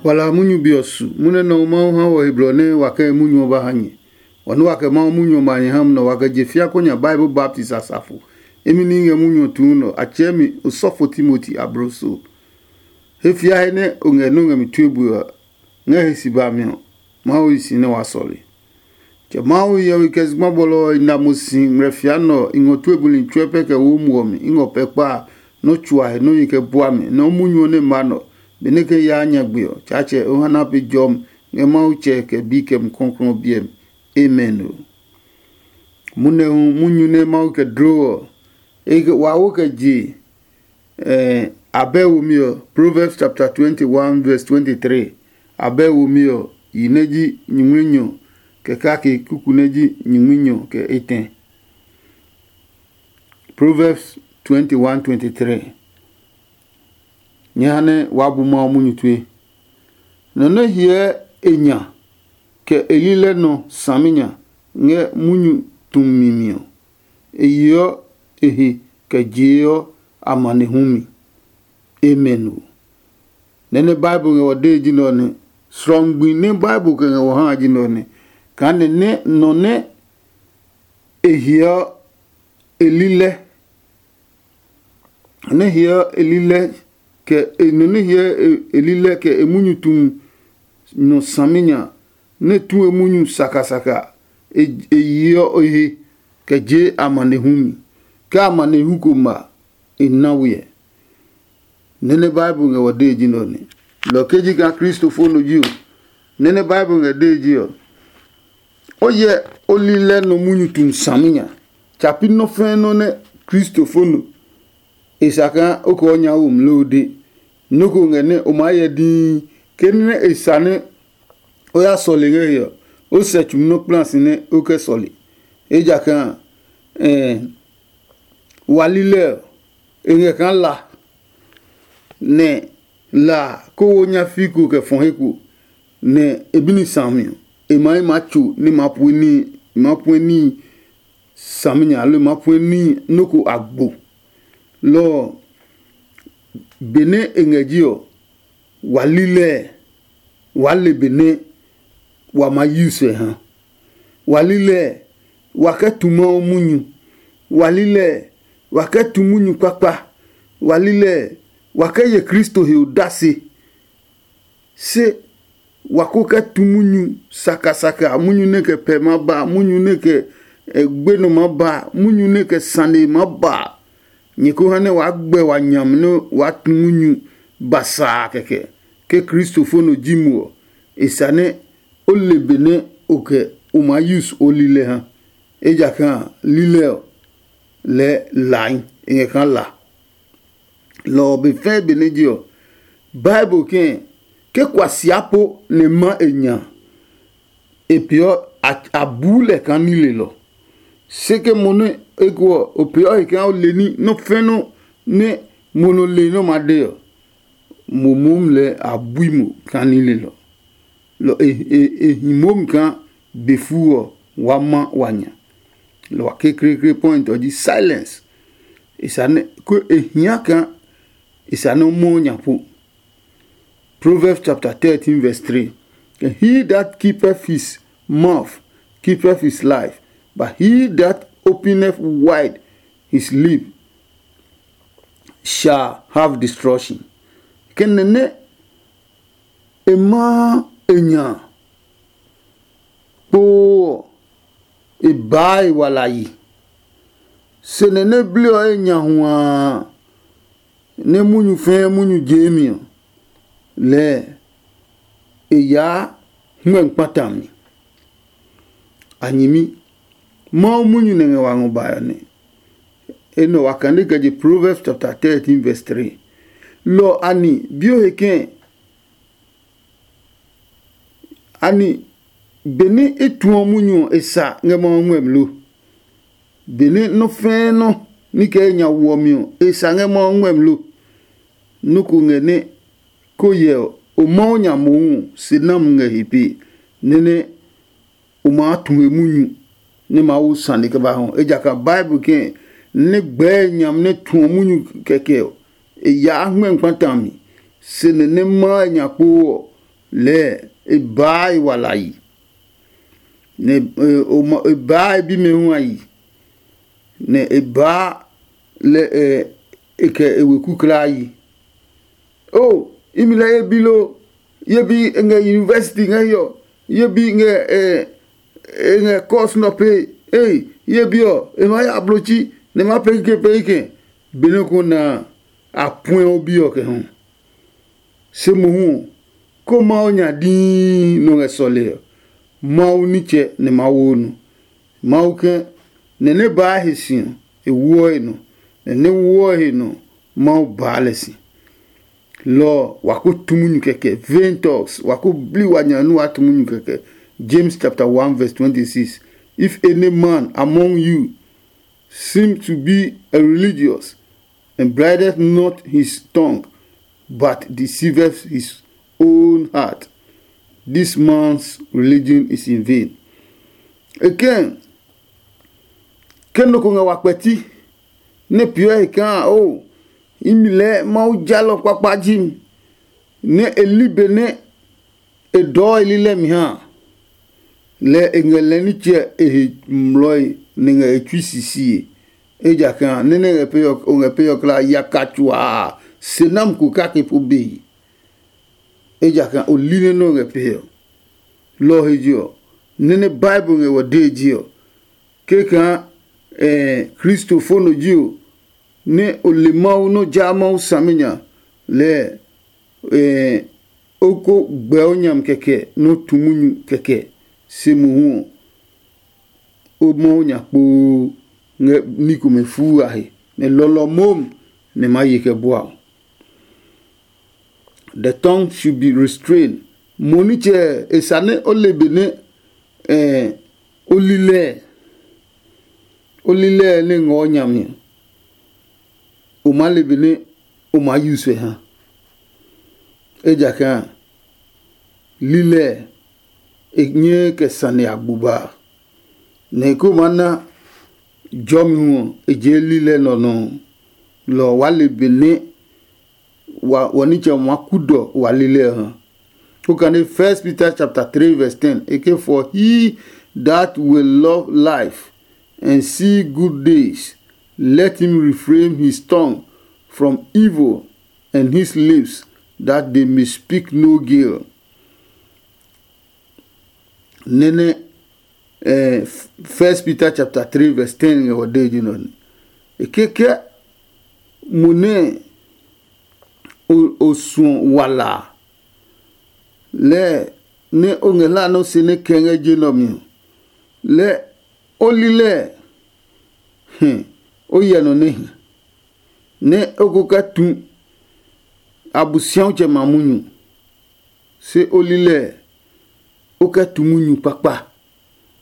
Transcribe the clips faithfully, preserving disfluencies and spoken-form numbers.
Wala munyu be ɔ su munyu nɛ Mawu ha wɔ he blɔ nɛ wa kɛ munyu ɔ ba ha nyɛ. Wa nɛ wa kɛ Mawu munyu ɔ ma nyɛ ha nɛ wa kɛ je fia kɔ nya Bible baptist asafo. Imi ní ngɛ munyu ɔ tuu nɔ a tsɛɛ mi osɔfo Timoti abloso. He fia he nɛ o ngɛ nɔ́ ngɛ mi tue bue ɔ, ngɛ he si ba mi ɔ, Mawu yi si nɛ wa sɔle. Kɛ Mawu hiɔwe kɛ zugba bɔlɔ ɔ i na mo si ngmlɛ fia nɛ ɔ, i ngɔ tue buli tsuɛ pɛ kɛ wo muɔ mi. I ngɔ pɛ kpa a, nɔ́ tsuahe nɔ́ nyi kɛ bua mi, nɔ́ munyu ɔ nɛ ma nɔ, benɛ ke yaa nyagbe ɔ, Tsaatsɛ o ha na pe jɔmi ngɛ Mawu Tsɛ kɛ Bi kɛ Mumi Klɔuklɔu ɔ biɛ mi. Amen. O munɛ hu munyu nɛ Mawu kɛ dlo ɔ, e kɛ wa wo kɛ je. Abɛ womi ɔ, Proverbs chapter twenty-one verse twenty-three. Abɛ womi ɔ, yi nɛ ji nyingminyɔ kɛ kake kuku nɛ ji nyingminyɔ kɛ etɛ. Proverbs twenty-one twenty-three. Nyɛ ha nɛ waa bu Mawu munyu tue. Nɔ nɛ hyɛ e nya kɛ e lilɛ nɔ saminya ngɛ munyu tumi mi ɔ, e yeɔ e he kɛ jeeɔ amanehlu mi. Amen. O nɛ nɛ Bible ngɛ wɔ dee ji nɛ ɔ nɛ. Srɔngbi nɛ Bible kɛ ngɛ wɔ ha ji nɛ ɔ nɛ. Kaa nɛ nɛ nɔ nɛ e hiɔ e lilɛ nɛ hiɔ e lilɛ kɛ e nɔ nɛ hiɔ e lilɛ kɛ e munyu tumi nɔ saminya nɛ tu e munyu sakasaka, e yeɔ e he kɛ je amanehlu mi. Ke amanehlu ko ma, e na wiɛ. Nɛ́ nɛ Bible ngɛ wɔ dee ji nɛ ɔ nɛ. Lɔ ke ji kaa Kristofo nɔ ji ɔ, nɛ́ nɛ Bible ngɛ dee ji ɔ, o yɛ o lilɛ nɔ munyu tumi saminya. Tsa pi nɔ́ fɛ́ nɔ́ nɛ Kristofo nɔ e sa kaa o kɛ o nya wo mloo de. Nɔ́ ko ngɛ nɛ o maa hyɛ dii ke nɛ e sa nɛ o ya sɔle ngɛ he ɔ, o sɛ tsumi nɔ́ kpla si nɛ o kɛ sɔle. Ejakaa wa lilɛ ɔ, e ngɛ kaa la, nɛ la ko wo nyafii ko kɛ fɔ he ko, nɛ e bi ni sami ɔ, e ma yi maa tso nɛ ma pue níhi, ma pue níhi saminya aloo ma pue níhi nɔ́ ko agbo. Lɔ ɔ, benɛ e ngɛ ji ɔ, wa lilɛ waa le benɛ wa maa use ɔ ha. Wa lilɛ wa kɛ tu Mawu munyu. Wa lilɛ wa kɛ tu munyu kpakpa. Wa lilɛ wa kɛ ye Kristo he odase. Se wa ko kɛ tu munyu sakasaka, munyu nɛ kɛ pɛ ma ba, munyu nɛ kɛ gbenɔ ma ba, munyu nɛ kɛ sane ma ba. Nyɛ ko ha nɛ waa gbɛ wa nyam nɛ waa tu munyu basaa kɛkɛ. Ke Kristofo nɔ ji mo ɔ, e sa nɛ o le benɛ o kɛ o maa use o lilɛ ha. Ejakaa lilɛ ɔ, lɛɛ lai e ngɛ kaa la. Lɔ ɔ be fɛɛ benɛ je ɔ, Bible kɛɛ ke kuasia po nɛ ma e nya, e peeɔ a buu lɛ kaa nilelɔ. Se ke mo nɛ eko ɔ, o peeɔ he kaa o le ní nɔ́ fɛ́ nɔ́ nɛ mo nɔ le nɔ́ ma de ɔ, mo moom lɛ a bui mo kaa nilelɔ. Lɔ e hi momi kaa be fuu ɔ wa ma wa nya. Lɔ wa kekleekle point ɔ ji silence. E sa nɛ ko e hia kaa e sa nɛ o mɔ nya po. Proverbs chapter thirteen verse three. He that keepeth his mouth keepeth his life, but he that openeth wide his lip shall have destruction. Kɛnɛ nɛ e maa e nya kpoo ɔ, e baa e wala yi. Se nɛ nɛ bli ɔ e nya huaa nɛ munyu fɛɛ munyu jeemi ɔ, lɛɛ e yaa hmɛ kpata mi. A nyɛmi, Mawu munyu nɛ ngɛ wa ngɔ bae ɔ nɛ. Enɛ wa kane kɛ je Proverbs chapter thirteen verse three. Lɔ ɔ a ni bi o he kɛɛ? Ani benɛ e tuɔ munyu ɔ e sa ngɛ Mawu ngmɛmi lo? Benɛ nɔ́ fɛ́ɛ́ nɔ́ ní kɛ e nya woɔ mi ɔ, e sa ngɛ Mawu ngmɛmi lo? Nɔ́ ko ngɛ nɛ ko hyɛ ɔ, o Mawu nya mohu ɔ, se nami ngɛ he pee, nɛ nɛ o maa tu he munyu nɛ Mawu sane kɛ ba hɔ. Ejakaa Bible kɛɛ nɛ gbɛɛ nyami nɛ tuɔ munyu kɛkɛ ɔ, e yaa hmɛ kpata mi, se nɛ nɛ maa e nya kpoo ɔ, lɛɛ e baa e wala yi, nɛ e baa e bimɛ hu a yi, nɛ e baa lɛ e kɛ e weku kulaa yi. O, imi lɛ ye bi lo? Ye bi ngɛ university ngɛ hiɔ? Ye bi ngɛ e ngɛ course nɔ pe? Ei, ye bi ɔ, e ma ya blotsi nɛ ma pee kikɛ pee kikɛ. Benɛ ko na a puɛ o bi ɔ kɛ hu. Se mohu ɔ, ko Mawu nya dii nɔ ngɛ sɔle ɔ, Mawu nitsɛ nɛ ma wo nɔ. Mawu ke nɛ nɛ baa he si ɔ, e woɔ he nɔ, nɛ nɛ woɔ he nɔ, Mawu baa lɛ si. Lɔ ɔ, wa ko tu munyu kɛkɛ. Vain talks, wa ko bli wa nya nɛ wa tu munyu kɛkɛ. James chapter one verse twenty-six. If any man among you seem to be a religious, and brideth not his tongue, but deceiveth his own heart, this man's religion is in vain. Again, ke nɔ ko ngɛ wa kpɛti nɛ peeɔ he kaa o, imi lɛɛ Mawu jalɔ kpakpa ji mi, nɛ e li be nɛ e dɔɔ e lilɛ mi ha a, lɛ e ngɛ lɛ nitsɛ e he mlɔe nɛ ngɛ e tsui sisie. Ejakaa nɛ nɛ ngɛ pee ɔ, o ngɛ pee ɔ kla yaka tsuaa se nam ko kake po be. Ejakaa o li nɛ nɛ o ngɛ pee ɔ. Lɔ ɔ he je ɔ, nɛ nɛ Bible ngɛ wɔ dee je ɔ, ke kaa kristofo nɔ ji o, nɛ o le Mawu nɛ o jaa Mawu saminya lɛɛ, o ko gbɛ o nyami kɛkɛ nɛ o tu munyu kɛkɛ. Se mohu ɔ, o Mawu nya kpoo ngɛ ní komɛ fuu a he, nɛ lɔlɔ momi nɛ ma ye kɛ bua o. The tongue should be restrained. Mo nitsɛ e sa nɛ o le benɛ o li lɛɛ, o li lɛɛ nɛ ngɔɔ nyami ɔ, o maa le benɛ o maa use ha. Ejakaa lilɛ e nyɛɛ kɛ sane agbo ba a, nɛ ko maa na jɔmi hu ɔ, e jee lilɛ nɔ nɔ. Lɔ ɔ, waa le benɛ wa wɔ nitsɛ ma kudɔ wa lilɛ ɔ ha. Okane First Peter chapter three verse ten, e ke, "For he that will love life and see good days, let him refrain his tongue from evil, and his lips that they may speak no guile." Nene eh, First Peter chapter three verse ten ngɛ wɔ dee ji nɔ ne. E keke mo nɛ o suɔ wala lɛ nɛ o ngɛ hla nɔ se nɛ kɛ ngɛ je nɔ mi ɔ, lɛ o li lɛ hɛ o yɛ nɔ nɛ hi, nɛ o ko kɛ tu Abosiatsɛ ma munyu. Se o li lɛ o kɛ tu munyu kpakpa.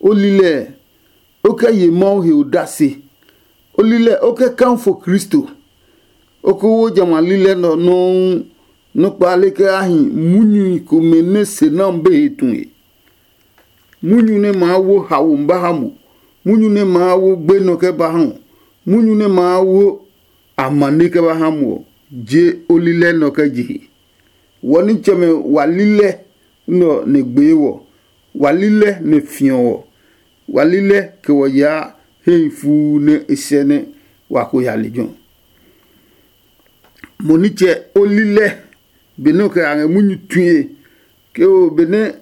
O li lɛ o kɛ ye Mawu he odase. O li lɛ o kɛ kanfo Kristo. O ko wo jamɛ a lilɛ nɛ ɔ nɔuu nɔ́ kpale kɛ a hi munyu komɛ nɛ se nɛ ɔ be he tue. Munyu nɛ maa wo haomi ba ha mo, munyu nɛ maa wo gbenɔ kɛ ba ha ɔ, munyu nɛ maa wo amane kɛ ba ha mo ɔ, je o lilɛ nɛ ɔ kɛ je he. Wɔ nitsɛmɛ wa lilɛ nɛ ɔ nɛ gbee wɔ, wa lilɛ nɛ fiɔ wɔ, wa lilɛ kɛ wɔ yaa hehi fuu nɛ e sɛ nɛ wa ko ya lejɛ ɔ. Mo nitsɛ o lilɛ benɛ o kɛ a ngɛ munyu tue, ke o benɛ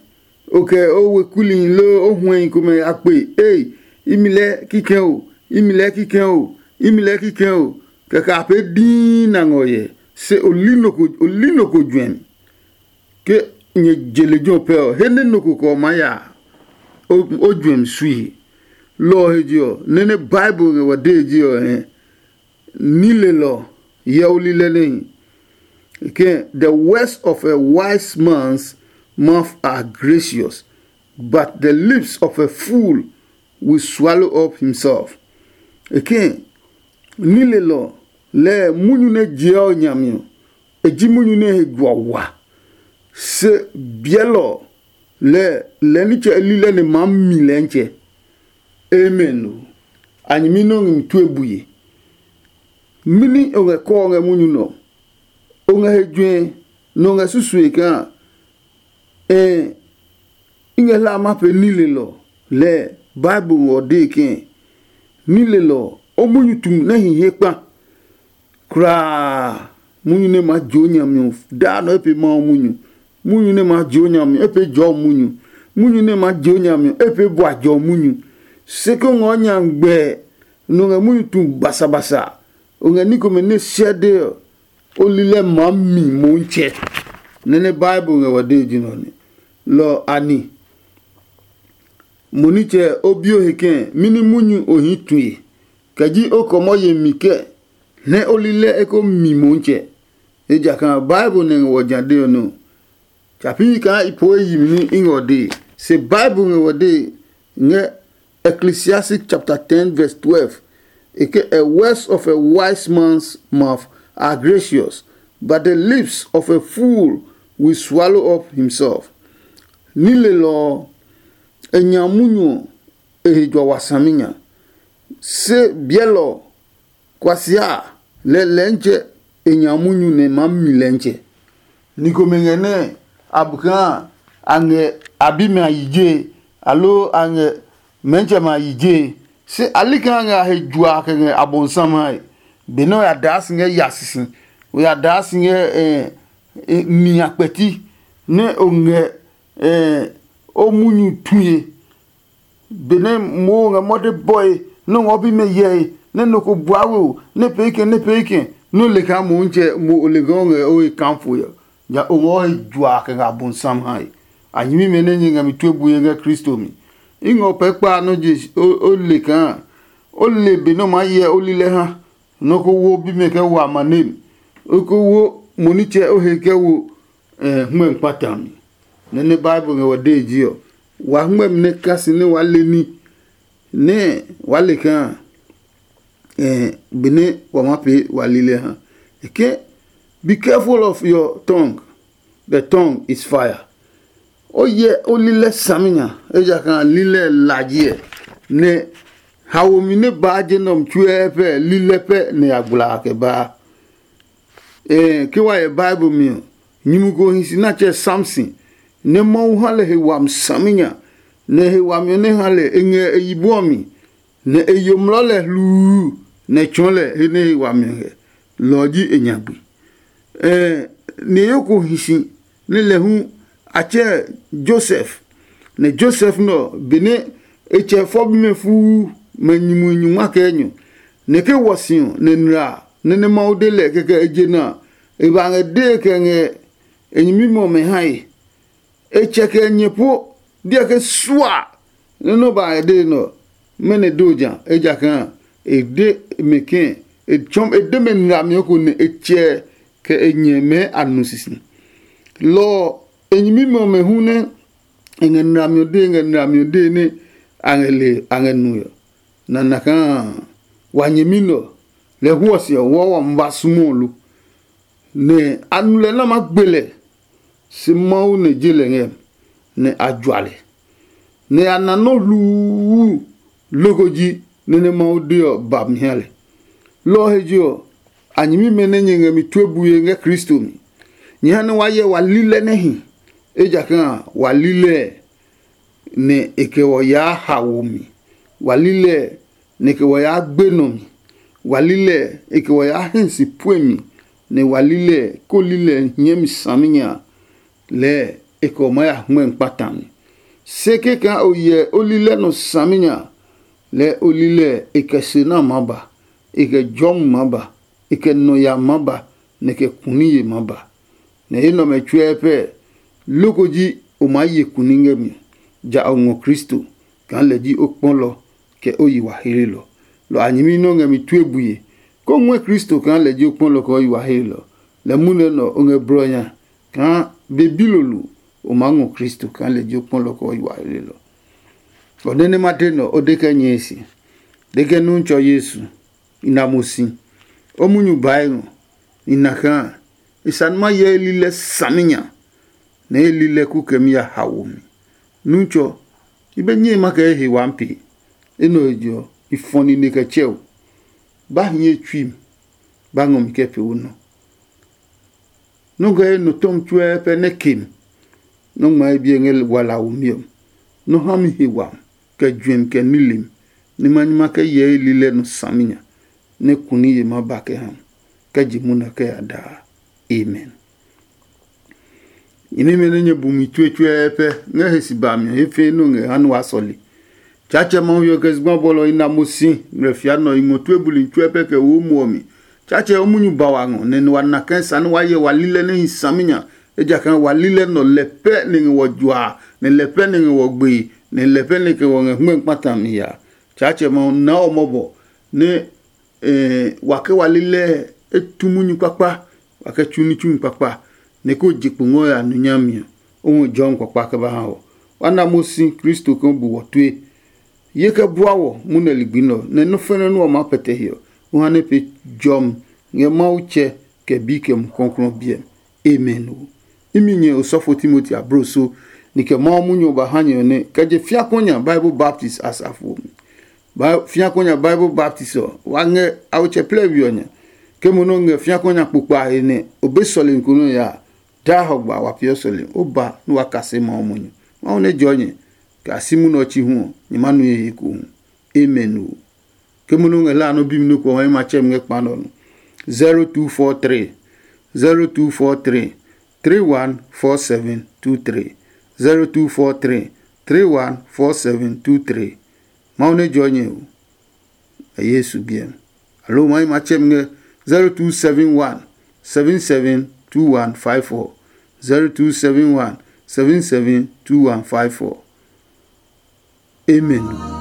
o kɛ o wekuli loo o huɛhi komɛ a kpe, ei, imi lɛ kikɛ o, imi lɛ kikɛ o, imi lɛ kikɛ o, kɛkɛ a pee dii na ngɔ hyɛ. Se o li nɔ ko o li nɔ ko juɛmi. Ke nyɛ je lejɛ ɔ pɛ ɔ, he nɛ nɔ ko kɛ ɔ maa ya o juɛmi sui he. Lɔ ɔ he je ɔ, nɛ nɛ Bible ngɛ wa dee je ɔ hɛ. Ní lelɔ hyɛ o lilɛ nɛ hi. Ke, "The words of a wise man's mouth are gracious, but the lips of a fool will swallow up himself." E ke, ní lelɔ lɛɛ munyu nɛ jeɔ ɔ nyami ɔ, e ji munyu nɛ he juɔ wa. Se biɛlɔ lɛɛ lɛ nitsɛ lilɛ nɛ maa mi lɛntsɛ. Amen o. A nyɛmi nɛ o ngɛ mi tue bue. Mɛni o ngɛ kɔɔ ngɛ munyu nɔ? O ngɛ he juɛ nɛ o ngɛ susue kaa Ɛɛ, i ngɛ hlaa ma pee nilelɔ lɛɛ. Bible ngɔ dee kɛɛ, nilelɔ ɔ, o munyu tu nɛ hi he kpa kulaa. Munyu nɛ ma jio nyami ɔ daa nɔ e pee Mawu munyu. Munyu nɛ ma jio nyami ɔ, e pee jɔɔ munyu. Munyu nɛ ma jio nyami ɔ, e pee bua jɔɔ munyu. Se ko ngɔ nya gbɛ nɔ ngɛ munyu tu basabasa. O ngɛ ní komɛ nɛ siɛ de ɔ, o lilɛ maa mi Motsɛ. Nɛ nɛ Bible ngɛ wa dee ji nɔ nɛ. Lɔ ani, mo nitsɛ o bio he kɛɛ, mini munyu o hii tue? Kɛ ji o kɔmɔ yemi kɛ nɛ o lilɛ eko mi Motsɛ? Ejakaa Bible nɛ ngɛ wɔ ja de ɔ nɛ ɔ, tsa pi kaa i poo e yi mi nɛ i ngɛ ɔ dee. Se Bible ngɛ wɔ dee ngɛ Ecclesiastes chapter ten verse twelve. E ke, a words of a wise man's mouth are gracious, but the lips of a fool will swallow up himself. Nilelɔ ɔ, e nya munyu ɔ, e he jua wa saminya. Se biɛlɔ ɔ, kuasia a, lɛ lɛntsɛ e nya munyu nɛ e maa mi lɛntsɛ. Ni komɛ ngɛ nɛ a bu kaa a ngɛ a bimɛ a yi jee, aloo a ngɛ mɛntsɛmɛ a yi jee. Se a li kaa a ngɛ a he jua kɛ ngɛ Abɔnsan hae. Benɛ o ya daa si ngɛ ya sisi, o ya daa si ngɛ eh, eh, ni a kpɛti, nɛ o ngɛ eh, o munyu tue, benɛ moo ngɛ mɔde bɔe, nɛ o ngɔ bimɛ hyɛe, nɛ nɔ ko bua we o, nɛ pee kɛ nɛ pee kɛ, nɛ o le kaa Motsɛ mo o le kaa o ngɛ o he kaafo ɔ, ja o ngɔ he jua kɛ ngɛ Abɔnsan hae. A nyɛmimɛ nɛ nyɛ ngɛ mi tue bue ngɛ Kristo mi. I ngɛ o pɛɛ kpa nɔ́ je o le kaa o le be nɛ o maa hyɛ o lilɛ ha. Nɔ ko wo bimɛ kɛ wo amane mi. O ko wo mo nitsɛ o he kɛ wo hmɛ kpata mi. Nɛ nɛ Bible ngɛ wɔ dee ji ɔ, wa hmɛmi nɛ kasi nɛ waa le ní, nɛ waa le kaa benɛ wa maa pee wa lilɛ ha. E ke, be careful of your tongue, the tongue is fire. O yɛ o lilɛ saminya, ejakaa lilɛ lajiɛ. Nɛ haomi nɛ baa je nɛ ɔmɛ tsuɛ pɛ lilɛ pɛ nɛ ya gbla kɛ baa. Ɛɛ ke wa yɛ Bible mi ɔ, nyumu ko hi si natsɛ Samson, nɛ Mawu ha lɛ he wami saminya, nɛ he wami ɔ nɛ ha lɛ e ngɛ e yibo ɔ mi, nɛ e yo mlɔ lɛ hluu, nɛ e tsɔɔ lɛ he nɛ he wami ɔ ngɛ. Lɔ ɔ ji e nyagbe. Ɛɛ ni e yo ko hi si nɛ lɛ hu a tsɛ Josef. Nɛ Josef nɛ ɔ, benɛ e tsɛ fɔ bimɛ fuu mɛ nyumuhi nyungma kɛ enyɔ, nɛ ke wɔ si ɔ nɛ nla nɛ nɛ Mawu de lɛ kɛkɛ e je na a, e ba ngɛ dee kɛ ngɛ e nyɛmimɛ ɔmɛ hae. E tsɛ kɛ e nyɛ po diɛ ke sua nɛ nɔ ba ngɛ dee nɛ ɔ, mɛnɔ do ja, ejakaa e de mɛ ke e tsɔm e de mɛ nlami ko nɛ e tsɛ kɛ e nyɛ mɛ a nu sisi. Lɔ ɔ, e nyɛmimɛ ɔmɛ hu nɛ e ngɛ nlami ɔ dee ngɛ nlami ɔ dee nɛ a ngɛ le a ngɛ nue ɔ, nana kaa wa nyɛmi nɛ ɔ, lɛ hu ɔ se ɔ wɔ wa ma ba sumɔ lo. Nɛ a nu lɛ nɛ a maa gbe lɛ, se Mawu nɛ je lɛ ngɛ, nɛ a jua lɛ, nɛ a na nɔ́ hluu loko ji nɛ nɛ Mawu de ɔ ba mi ha lɛ. Lɔ ɔ he je ɔ, a nyɛmimɛ nɛ nyɛ ngɛ mi tue bue ngɛ Kristo mi. Nyɛ ha nɛ wa hyɛ wa li lɛ nɛ hi, ejakaa wa li lɛ nɛ e kɛ wɔ yaa haomi. Wa li lɛ nɛ e kɛ wɔ yaa gbenɔ mi. Wa li lɛ e kɛ wɔ yaa hɛ si puemi, nɛ wa li lɛ ko li lɛ hiɛmi saminya lɛɛ e kɛ wɔ maa ya hmɛ kpata mi. Se kɛkaa o hyɛ o li lɛ nɔ saminya, lɛɛ o li lɛ e kɛ se na maa ba, e kɛ jɔmi maa ba, e kɛ nɔ ya maa ba, nɛ kɛ kuniye maa ba. Nɛ enɛ ɔmɛ tsuɛ pɛ loko ji o maa ye kuni ngɛ mi, ja o ngɔ Kristo kaa lɛ ji o kpɔlɔ kɛ o yi wa heelɔ. Lɔ a nyɛmi nɛ o ngɛ mi tue bue, kó ngɔɛ Kristo kaa lɛ ji o kpɔlɔ kɛ o yi wa heelɔ. Lɛ munɛ nɛ o ngɛ blɔ nya kaa be bilolo o maa ngɔ Kristo kaa lɛ ji o kpɔlɔ kɛ o yi wa heelɔ. Ɔ nɛ nɛ ma de nɛ o de kɛ nyɛe se, de kɛ Nutsɔ Yesu, i na mo si. O munyu bae ngɔ, i na kaa e sane ma hyɛ e lilɛ saminya, nɛ e lilɛ kukɛmi ya haomi. Nutsɔ, i be nyɛe ma kɛ ye he waa pee. Enɛ ɔ he je ɔ, i fɔ nine kɛ tsɛ o. Ba hiɛ tsui mi, ba ngɔ mi kɛ pee o nɔ. Nɔ́ ngɛ ye nɔ tɔmi tsuɛ pɛ nɛ ke mi. nɔ́ ngma ye biɛ ngɛ wala womi ɔ, nɔ́ ha mi he wami, kɛ juɛmi kɛ nilim, nɛ ma nyi ma kɛ hyɛ ye lilɛ nɔ saminya, nɛ kuniye ma ba kɛ ha mi, kɛ je munɔ kɛ ya daa. Amen. Nyɛmimɛ nɛ nyɛ bu mi tsuetsuɛɛ pɛ ngɛ he si ba mi ɔ, he fɛɛ nɔ ngɛ ha nɛ waa sɔle. Tsaatsɛ Mawu ɔ kɛ zugba bɔlɔ i na mo si, ngmlɛ fia nɔ i ngɔ tue buli tsuɛ pɛ kɛ wo muɔ mi. Tsaatsɛ o munyu ba wa ngɔ, nɛ wa na kɛ sa nɛ wa hyɛ wa lilɛ nɛ hi saminya, ejakaa wa lilɛ nɔ lɛ pɛ nɛ ngɛ wɔ juaa, nɛ lɛ pɛ nɛ ngɛ wɔ gbee, nɛ lɛ pɛ nɛ kɛ wɔ ngɛ hmɛ kpata mi ya. Tsaatsɛ Mawu na ɔ mɔbɔ, nɛ wa kɛ wa lilɛ e tu munyu kpakpa, wa kɛ tsu ní tsu kpakpa, nɛ ko je kpo ngɔ ya nu nyami ɔ, o ngɔ jɔmi kpakpa kɛ ba ha wɔ. Wa na mo si Kristo kɛ bu wɔ tue. Ye kɛ bua wɔ munɛ ligbi nɛ ɔ, nɛ nɔ́ fɛnɛ nɛ ɔ maa pɛtɛ he ɔ, o ha nɛ pee jɔmi ngɛ Mawu Tsɛ kɛ Bi kɛ Mumi Klɔuklɔu biɛ mi. Amen. O imi nyɛ osɔfo Timoti abloso, ni kɛ Mawu munyu ɔ ba ha nyɛ ɔ nɛ kɛ je fiakuɔ nya Bible baptist asafo ɔ mi. Fiakuɔ nya Bible baptist ɔ, wa ngɛ awotsɛ plɛ we ɔ nya. Ke mo nɛ o ngɛ fiakuɔ nya kpokpa a he nɛ o be sɔlemi ko nɛ o ya a, daa hɔgba wa peeɔ sɔlemi, o ba nɛ wa kase Mawu munyu. Mawu nɛ jɔɔ nyɛ, kɛ a si munɛ ɔ chi hu ɔ, nyɛ ma nu ye he ekohu. Amen. O ke mo nɛ o ngɛ hlaa nɛ o bi mi nɔ́ ko ɔ, ma tsɛ mi ngɛ kpa nɛ ɔ nɔ. zero two four three, zero two four three, three one four seven two three, zero two four three, three one four seven two three. Mawu nɛ jɔɔ nyɛ o. Yesu biɛ mi. Aloo ma yi ma tsɛ mi ngɛ zero two seven one, seven seven two one five four, zero two seven one, seven seven two one five four. Amen.